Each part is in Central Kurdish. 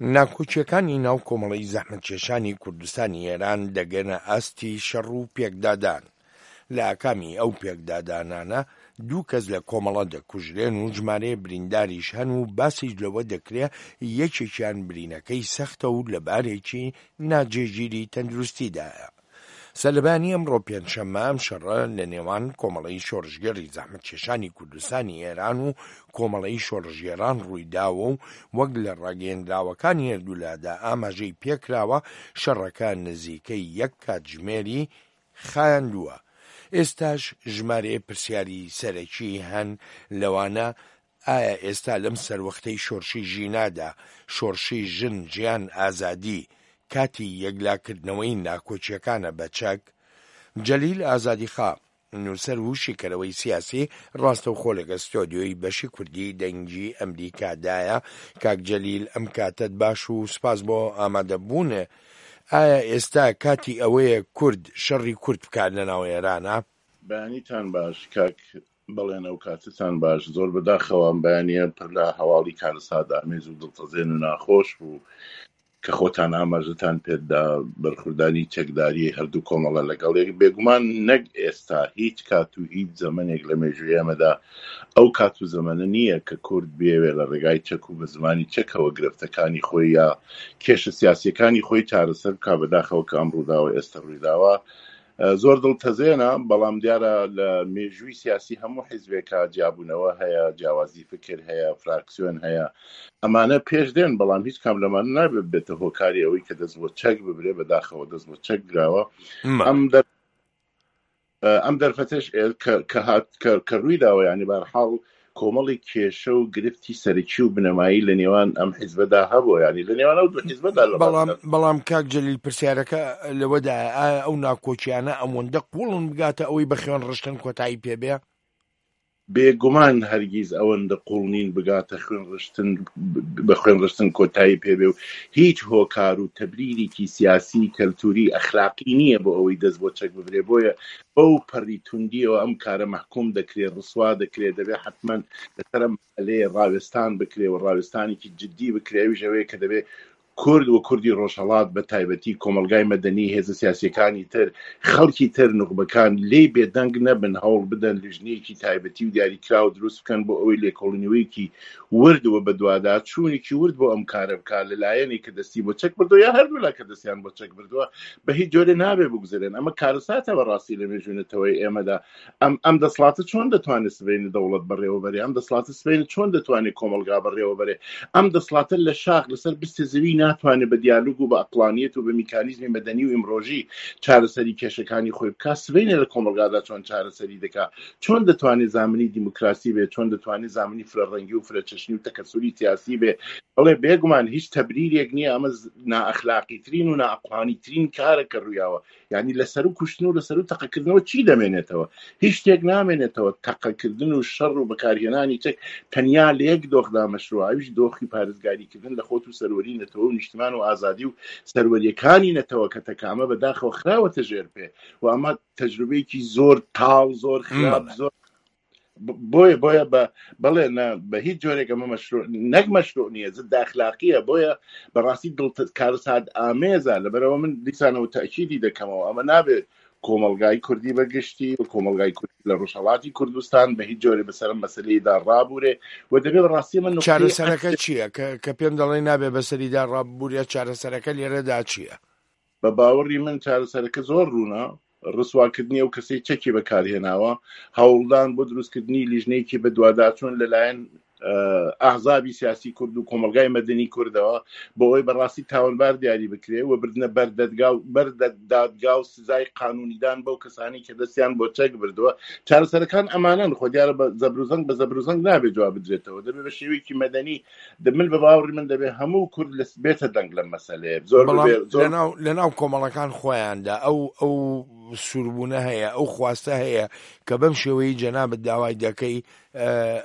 ناکۆکییەکانی ناو کۆمەڵەی زەحمەتکێشانی کوردستانی ئێران دەگەنە ئاستی شەڕ و پێکدادان. لە ئاکامی ئەو پێکدادانانە دوو کەس لە کۆمەڵە دەکوژرێن و ژمارەیە برینداریش هەن و باسیش لەوە دەکرێ یەکێکیان برینەکەی سەختە و لە بارێکی ناجێگیری تەندروستیدایە. سەرلەبەیانی ئەمڕۆ پێنجشەممە ئەم شەڕە لە نێوان کۆمەڵەی شۆڕشگێڕی زەحمەتکێشانی کوردستانی ئێران و کۆمەڵەی شۆڕشگێڕان ڕوویداوە و وەک لە ڕاگەیەندراوەکانی هەردوولادا ئاماژەی پێکراوە شەڕەکە نزیکەی یەک کاتژمێری خایاندووە. ئێستاش ژمارەیە پرسیاری سەرەکی هەن لەوانە ئایا ئێستا لەم سەروەختەی شۆرشی ژینادا، شۆڕشی ژن، ژیان، ئازادی، کاتی یەکلاکردنەوەی ناکۆکییەکانە بە چەک؟ جەلیل ئازادیخا، نووسەر و شیکەرەوەی سیاسی، ڕاستەوخۆ لەگەڵ ستۆدیۆی بەشی کوردی دەنگی ئەمریکادایە. کاک جەلیل ئەم کاتەت باش و سوپاس بۆ ئامادەبوونت. ئایا ئێستا کاتی ئەوەیە کورد شەڕی کورد بکات لەناو ئێرانا؟ بەیانیتان باش کاک بەڵێن ئەوکاتەتان باش زۆر بەداخەوە ئەم بەیانیە پر لە هەواڵی کارەسات ئامێز و دڵتەزێن و ناخۆش بوو کە خۆتان ئاماژەتان پێدا بەرخوردانی چەکداری هەردوو کۆمەڵە لەگەڵ یەک بێگومان نەک ئێستا هیچ کات و هیچ زەمەنێک لە مێژووی ئێمەدا ئەو کات و زەمەنە نییە کە کورد بێوێ لە ڕێگای چەک و بە زمانی چەکەوە گرفتەکانی خۆی یا کێشە سیاسیەکانی خۆی چارەسەر بکا بەداخەوە کە ئەم ڕووداوە ئێستا ڕوویداوە زۆر دڵتەزێنە، بەڵام دیارە لە مێژووی سیاسی هەموو حیزبێکا جیابوونەوە هەیە، جیاوازی فکر هەیە، فراکسیۆن هەیە، ئەمانە پێش دێن، بەڵام هیچ کام لەمانە نابێت ببێتە هۆکاری ئەوەی کە دەست بۆ چەک ببرێ، بەداخەوە دەست بۆ چەک براوە. ئەم دەر ئەم دەرفەتەش کە هات کە ڕووی داوە یانی بەهەرحاڵ کۆمەڵی کێشە و گرفتی سەرەکی و بنەمایی لە نێوان ئەم حیزبەدا هەبووە یانی لە نێوان ئەو دوو حیزبەدا لە بەڵام بەڵام کاک جەلیل پرسیارەکە لەوەدایە ئایا ئەو ناکۆکیانە ئەوەندە قوڵن بگاتە ئەوەی بە خوێن ڕشتن کۆتایی پێ بێ؟ بێگومان هەرگیز ئەوەندە قوڵ نین بگاتە خوێن ڕشتن بە خوێن ڕشتن کۆتایی پێ بێ و هیچ هۆکار و تەبریرێکی سیاسی کەلتوری ئەخلاقی نییە بۆ ئەوەی دەست بۆ چەک ببرێ بۆیە بەو پەڕی توندیەوە ئەم کارە مەحکوم دەکرێ ڕسوا دەکرێ دەبێ حەتمەن لەسەر ئەم مەسئەلەیە ڕاوێستان بکرێ و ڕاوێستانێکی جدی بکرێ ئەویش ئەوەیە کە دەبێ کورد و کوردی ڕۆژهەڵات بە تایبەتی کۆمەڵگای مەدەنی، هێزە سیاسییەکانی تر، خەڵکی تر، نوخبەکان لێی بێدەنگ نەبن، هەوڵ بدەن لیژنەیەکی تایبەتی و دیاریکراو دروست بکەن بۆ ئەوەی لێکۆڵینەوەیەکی ورد و بەدواداچوونێکی ورد بۆ ئەم کارە بکات لە لایەنێک کە دەستی بۆ چەک بردووە یا هەردوولا کە دەستیان بۆ چەک بردووە بە هیچ جۆرێ نابێ بگوزەرێن. ئەمە کارەساتە بەڕاستی لە مێژووی نەتەوەی ئێمەدا. ئەم ئەم دەسڵاتە چۆن دەتوانێت سبەینێ دەوڵەت بەڕێوە بەرێ؟ ئەم دەسڵاتە سبەینێ چۆن دەتوانێت کۆمەڵگا بەڕێوە بەرێ؟ ئەم دەسڵاتە لە شاخ لەسەر بستێ زەوی ناتوانێت بە دیالوگ و بە ئەقڵانیەت و بە میکانیزمی مەدەنی و ئیمڕۆژی چارەسەری کێشەکانی خۆی بکا، سبەینێ لە کۆمەڵگادا چۆن چارەسەری دەکا؟ چۆن دەتوانێت زامنی دیموکراسی بێ؟ چۆن دەتوانێت زامنی فرەڕەنگی و فرەچەشنی و تەکەسوری سیاسی بێ؟ بەڵێ بێگومان هیچ تەبریرێک نییە، ئەمە نائەخلاقیترین و نائەقڵانیترین کارە کە ڕوویاوە. یعنی لە سەرو کوشتن و لە سەرو تەقەکردنەوە چی دەمێنێتەوە؟ هیچ شتێک نامێنێتەوە. تەقەکردن و شەڕ و بەکارهێنانی چەک تەنیا لە یەک دۆخدا مەشروعە، ئەویش دۆخی پارێزگاریکردن لە خۆت و سەروەری نەتەوە و نیشتمان و ئازادی و سەروەریەکانی نەتەوەکەتە کە ئەمە بەداخەوە خراوەتە ژێر پێ و ئەمە تەجروبەیەکی زۆر تاڵ، زۆر خراپ، زۆر بۆیە بۆیە بە بەڵێ نا بە هیچ جۆرێک ئەمە مەشروع نەک مەشروع نییە زد ئەخلاقیە بۆیە بەڕاستی دڵ کارەسات ئامێزە لەبەرەوە من دیسانەوە تەئکیدی دەکەمەوە ئەمە نابێت کۆمەڵگای کوردی بە گشتی و کۆمەڵگای کوردی لە ڕۆژهەڵاتی کوردستان بە هیچ جۆرێ بەسەر ئەم مەسەلەیەدا ڕابورێ و دەبێ بەڕاستی ئەمە نوقتەی چارەسەرەکە چییە کە کە پێم دەڵێ نابێ بەسەریدا ڕاببورێ چارەسەرەکە لێرەدا چییە؟ بە باوەڕی من چارەسەرەکە زۆر ڕوونە، ڕسواکردنی ئەو کەسەی چەکی بەکارهێناوە، هەوڵدان بۆ دروستکردنی لیژنەیەکی بەدواداچوون لەلایەن ئەحزابی سیاسی کورد و کۆمەڵگای مەدەنی کوردەوە بۆ ئەوەی بەڕاستی تاوانبار دیاری بکرێ و بردنە بەر دەدگا و بەر دادگا و سزای قانونیدان بەو کەسانی کە دەستیان بۆ چەک بردووە. چارەسەرەکان ئەمانەن. خۆ دیارە بە زەبروزەنگ بە زەبروزەنگ نابێ جواب بدرێتەوە، دەبێ بە شێوەیەکی مەدەنی من بە باوەڕی من دەبێ هەموو کورد لە بێتە دەنگ لەم مەسەلەیە زۆر بەڵام زۆر لەناو لەناو کۆمەڵەکان خۆیاندا ئەو ئەو سووربوونە هەیە ئەو خواستە هەیە کە بەم شێوەی جەنابت داوای دەکەی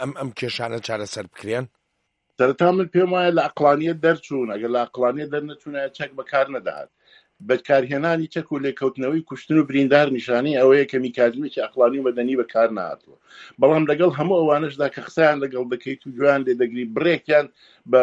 ئەم ئەم کێشانە چارەسەر بکرێن. سەرەتا من پێم وایە لە ئەقڵانیەت دەرچوون، ئەگەر لە ئەقڵانیەت دەرنەچوونایە چەک بەکار نەدەهات. بەکارهێنانی چەک و لێکەوتنەوەی کوشتن و بریندار نیشانەی ئەوەیە کە میکانیزمێکی ئەقڵانی و مەدەنی بەکار نەهاتووە. بەڵام لەگەڵ هەموو ئەوانەشدا کە قسەیان لەگەڵ دەکەیت و گوێیان لێ دەگری، بڕێکیان بە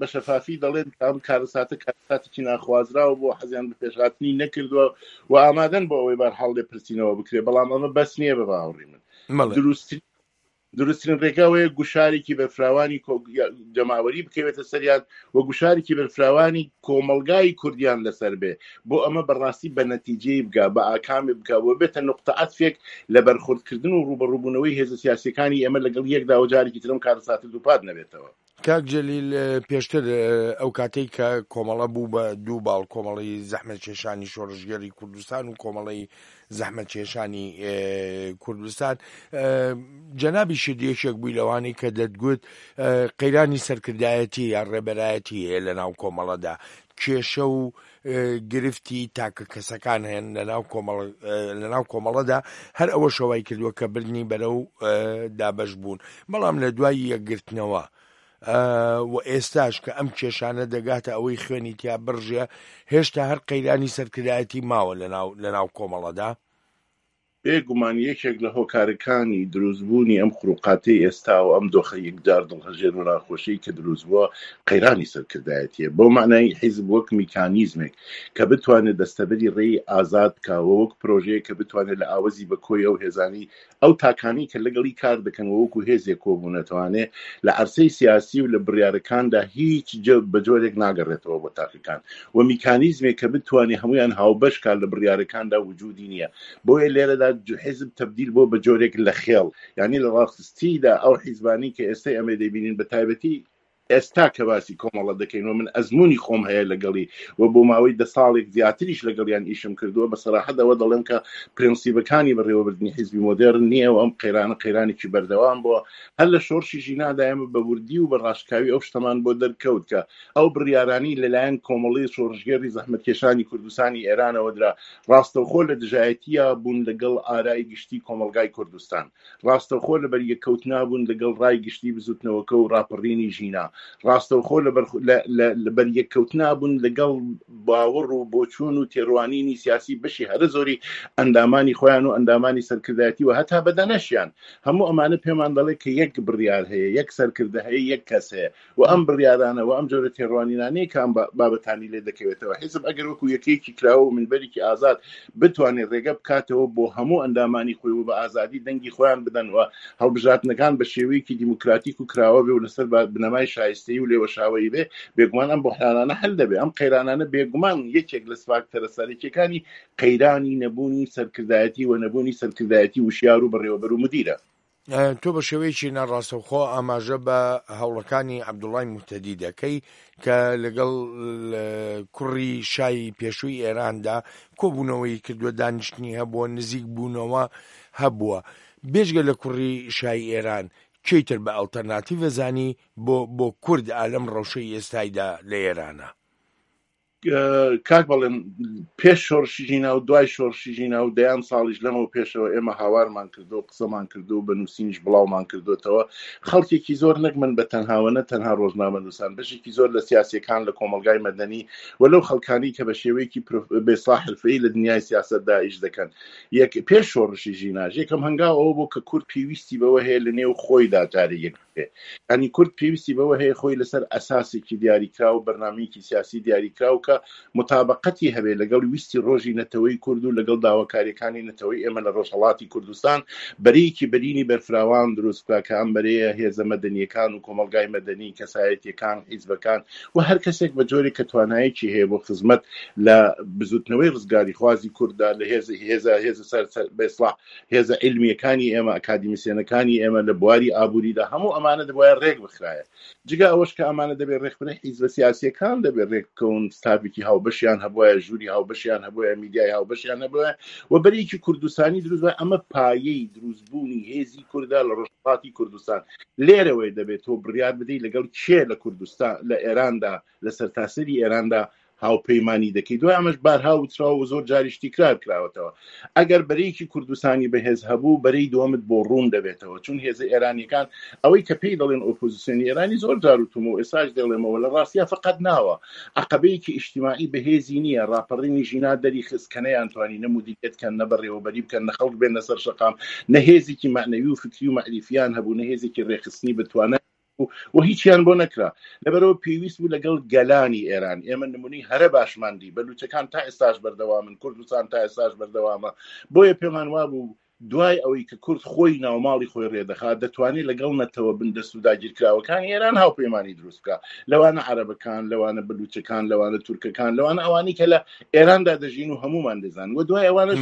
بە شەفافی دەڵێن کە ئەم کارەساتە کارەساتێکی ناخوازراو بووە، حەزیان بە پێشهاتنی نەکردووە و ئامادەن بۆ ئەوەی بەرحاڵ لێپرسینەوە بکرێت، بەڵام ئەمە بەس نییە بە باوەڕی من. دروستترین دروستترین ڕێگا ئەوەیە گوشارێکی بەرفراوانی جەماوەری بکەوێتە سەریان و گوشارێکی بەرفراوانی کۆمەڵگای کوردیان لەسەر بێ بۆ ئەمە بەڕاستی بە نەتیجەی بگا بە ئاکامی بگا و بێتە نقطە عەتفێک لە بەرخوردکردن و ڕووبەڕووبوونەوەی هێزە سیاسیەکانی ئێمە لەگەڵ یەکدا و جارێکی ترم کارەساتە دووپات نەبێتەوە. کاک جەلیل پێشتر ئەو کاتەی کە کۆمەڵە بوو بە دوو باڵ کۆمەڵی زەحمەتکێشانی شۆڕشگێڕی کوردستان و کۆمەڵی زەحمەتکێشانی کوردستان جەنابیشت یەکێک بووی لەوانەی کە دەتگوت قەیرانی سەرکردایەتی یا ڕێبەرایەتی هەیە لە ناو کۆمەڵەدا کێشە و گرفتی تاکە کەسەکان هەن لەناو کۆمەڵ لەناو کۆمەڵەدا هەر ئەوەشە وای کردووە کە بردنی بەرەو دابەش بوون بەڵام لە دوای یەکگرتنەوە و ئێستاش کە ئەم کێشانە دەگاتە ئەوەی خوێنی تیا بڕژێ هێشتا هەر قەیرانی سەرکردایەتی ماوە لەناو لەناو کۆمەڵەدا. بێ گومان یەکێک لە هۆکارەکانی دروستبوونی ئەم خروقاتەی ئێستا و ئەم دۆخە یەکجار دڵهەژێن و ناخۆشەی کە دروست بووە قەیرانی سەرکردایەتییە. بەو مانای حیزب وەک میکانیزمێک کە بتوانێت دەستەبەری ڕێی ئازاد بکا و وەک پرۆژەیەک کە بتوانێت لە ئاوەزی بە کۆی ئەو هێزانەی ئەو تاکانەی کە لەگەڵی کار دەکەن و وەکو هێزێک کۆبوونەتەوانێ لە عەرسەی سیاسی و لە بڕیارەکاندا هیچ بە جۆرێک ناگەڕێتەوە بۆ تاکەکان و میکانیزمێک کە بتوانێ هەموویان هاوبەش کات لە بڕیارەکاندا وجودی نییە بۆیە لێرەدا حیزب تەبدیل بۆ بە جۆرێک لە خێڵ یانی لە ڕاستیدا ئەو حیزبانەی کە ئێستا ئەمە دەیبینین بە تایبەتی ئێستا کە باسی کۆمەڵە دەکەین و من ئەزموونی خۆم هەیە لەگەڵی و بۆ ماوەی دە ساڵێک زیاتریش لەگەڵیان ئیشم کردووە، بە سەراحەت ئەوە دەڵێم کە پرەنسیبەکانی بەڕێوەبردنی حیزبی مۆدێرن نییە و ئەم قەیرانە قەیرانێکی بەردەوام بووە. هەر لە شۆڕشی ژینادا ئێمە بە وردی و بە ڕاشکاوی ئەو شتەمان بۆ دەرکەوت کە ئەو بڕیارانەی لەلایەن کۆمەڵەی شۆڕشگێڕی زەحمەتکێشانی کوردستانی ئێرانەوە درا، ڕاستەوخۆ لە دژایەتییا بوون لەگەڵ ئارای گشتی کۆمەڵگای کوردستان. ڕاستەوخۆ لە بەریەککەوتنا بوون لەگەڵ ڕای گشتی بزوتنەوەکە و ڕاپەڕینی ژینا، ڕاستەوخۆ لە لە بەریەککەوتنا بوون لەگەڵ باوەڕ و بۆچوون و تێڕوانینی سیاسی بەشی هەرە زۆری ئەندامانی خۆیان و ئەندامانی سەرکردایەتی و هەتا بەدەنەشیان. هەموو ئەمانە پێمان دەڵێ کە یەک بڕیار هەیە، یەک سەرکردە هەیە، یەک کەس هەیە. و ئەم بڕیارانە و ئەم جۆرە تێڕوانینانەیە کە ئەم بابەتانی لێ دەکەوێتەوە. حیزب ئەگەر وەکو یەکەیەکی کراوە و مینبەرێکی ئازاد بتوانێت ڕێگە بکاتەوە بۆ هەموو ئەندامانی خۆی و بە ئازادی دەنگی خۆیان بدەن و هەڵبژاردنەکان بە شێوەیەکی دیموکراتیک و کراوە بێ و لەسەر بنەمای شایستەیی و لێوەشاوەیی بێ، بێگومان ئەم بوحرانانە حل دەبێ. ئەم قەیرانانە بێگومان یەکێک لە فاکتەرە سەرەکیەکانی قەیرانی نەبوونی سەرکردایەتی و نەبوونی سەرکردایەتی وشیار و بەڕێوەبەر و مودیرە. تۆ بە شێوەیەکی ناڕاستەوخۆ ئاماژە بە هەوڵەکانی عەبدوڵای موهتەدی دەکەی کە لەگەڵ کوڕی شای پێشووی ئێراندا کۆبوونەوەی کردووە، دانیشتنی هەبووە، نزیک بوونەوە هەبووە. بێجگە لە کوڕی شای ئێران کێی تر بە ئەڵتەرناتیڤ ئەزانی بۆ بۆ کورد ئا لەم ڕەوشەی ئێستایدا لە ئێرانا؟ کاک بەڵێن پێش شۆڕشی ژینا و دوای شۆڕشی ژینا و دەیان ساڵیش لەمەو پێشەوە ئێمە هاوارمان کردو و قسەمان کردو و بە نووسینیش بڵاومان کردوتەوە خەڵکێکی زۆر نەک من بە تەنهاوە نە تەنها ڕۆژنامەنووسان بەشێکی زۆر لە سیاسیەکان لە کۆمەڵگای مەدەنی و لەو خەڵکانی کە بە شێوەیەکی بێسڵا حرفەیی لە دنیای سیاسەتدا ئیش دەکەن یەک پێش شۆڕشی ژیناش یەکەم هەنگاو ئەوە بوو کە کورد پێویستی بەوە هەیە لە نێو خۆیدا جارێ یەک بێ. یانی کورد پێویستی بەوە هەیە خۆی لەسەر ئەساسێکی دیاریکراو و بەرنامەیەکی سیاسی دیاریکراو کە موتابەقەتی هەبێ لەگەڵ ویستی ڕۆژی نەتەوەی کورد و لەگەڵ داواکاریەکانی نەتەوەی ئێمە لە ڕۆژهەڵاتی کوردستان بەرەیەکی بەرینی بەرفراوان دروست بکا کە ئەم بەرەیە هێزە مەدەنیەکان و کۆمەڵگای مەدەنی، کەسایەتیەکان، حیزبەکان و هەر کەسێک بە جۆرێک کە توانایەکی هەیە بۆ خزمەت لە بزوتنەوەی ڕزگاریخوازی کورددا لە هێزە هێزە هێزە سەر سەر بە ئیسڵاح هێزە عیلمییەکانی ئێمە، ئەکادیمیسیەنەکانی ئێمە لە بواری ئابووریدا، هەموو ئەمانە دەبوایە ڕێک بخرایە. جگە ئەوەش کە ئەمانە دەبێ ڕێک بخرێن، حیزبە سیاسییەکان دەبێ ڕێک بکەون، ستافێکی هاوبەشیان هەبوایە، ژووری هاوبەشیان هەبوایە، میدیای هاوبەشیان هەبوایە و بەرەیەکی کوردستانی دروست بوایە. ئەمە پایەی دروستبوونی هێزی کوردە لە ڕۆژهەڵاتی کوردستان. لێرەوەی دەبێ تۆ بڕیار بدەی لەگەڵ کێ لە کوردستان، لە ئێراندا، لە سەرتاسەری ئێراندا. هاوپەیمانی دەکەی دوای ئەمەش بارها وتراوە و زۆر جاریش تیکرار کراوەتەوە ئەگەر بەرەیەکی کوردستانی بەهێز هەبوو بەرەی دووەمت بۆ ڕوون دەبێتەوە چون هێزە ئێرانیەکان ئەوەی کە پێی دەڵێن ئۆپۆزیسیۆنی ئێرانی زۆر جار وتومە و ئێستاش دەڵێمەوە لە ڕاستیا فقط ناوە عەقەبەیەکی ئیجتیماعی بەهێزی نییە ڕاپەڕینی ژینا دەری خست کە نەیانتوانی نە مودیریەت کەن نە بەڕێوەبەری بکەن نە خەڵک بێنە سەر شەقام نە هێزێکی مەعنەوی و فکری و مەعریفیان هەبوو نە هێزێکی ڕێکخستنی بتوانای و هیچیان بۆ نەکرا لەبەرەوە پێویست بوو لەگەڵ گەلانی ئێران ئێمە نمونەی هەرە باشمان دی بەلوچەکان تا ئێستاش بەردەوامن کوردستان تا ئێستاش بەردەوامە بۆیە پێمان وابوو دوای ئەوەی کە کورد خۆی ناوماڵی خۆی ڕێدەخات دەتوانێت لەگەڵ نەتەوە بندەست و داگیرکراوەکانی ئێران هاوپەیمانی دروست بکە لەوانە عەرەبەکان لەوانە بلوچەکان لەوانە تورکەکان لەوانە ئەوانی کە لە ئێراندا دەژین و هەمومان دەزان و دوای ئەوانش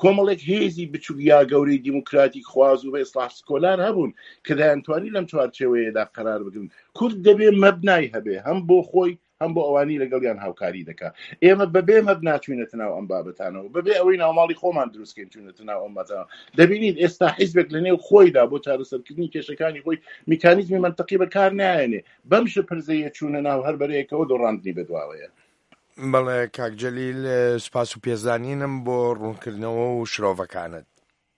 کۆمەڵێک هێزی بچوک یا گەورەی دیموکراتیک خواز و ئیسلاح سکۆلار هەبوون کە دەیانتوانی لەم چوارچێوەیەدا قەرار بگرن. کورد دەبێ مەبنای هەبێ هەم بۆ خۆی هەم بۆ ئەوانی لەگەڵیان هاوکاری دەکا. ئێمە بەبێ مەبنا چوینەتە ناو ئەم بابەتانەوە، بەبێ ئەوەی ناوماڵی خۆمان دروست کەین چوینەتە ناو ئەم بابەتانەوە. دەبینیت ئێستا حیزبێک لە نێو خۆیدا بۆ چارەسەرکردنی کێشەکانی خۆی میکانیزمی مەنتقی بەکار نایەنێ. بەم شپرزەیە چوونە ناو هەر بەرەیەکەوە دۆڕاندنی بەدواوەیە. بەڵێ کاک جەلیل سوپاس و پێزانینم بۆ ڕوونکردنەوە و شرۆڤەکانت.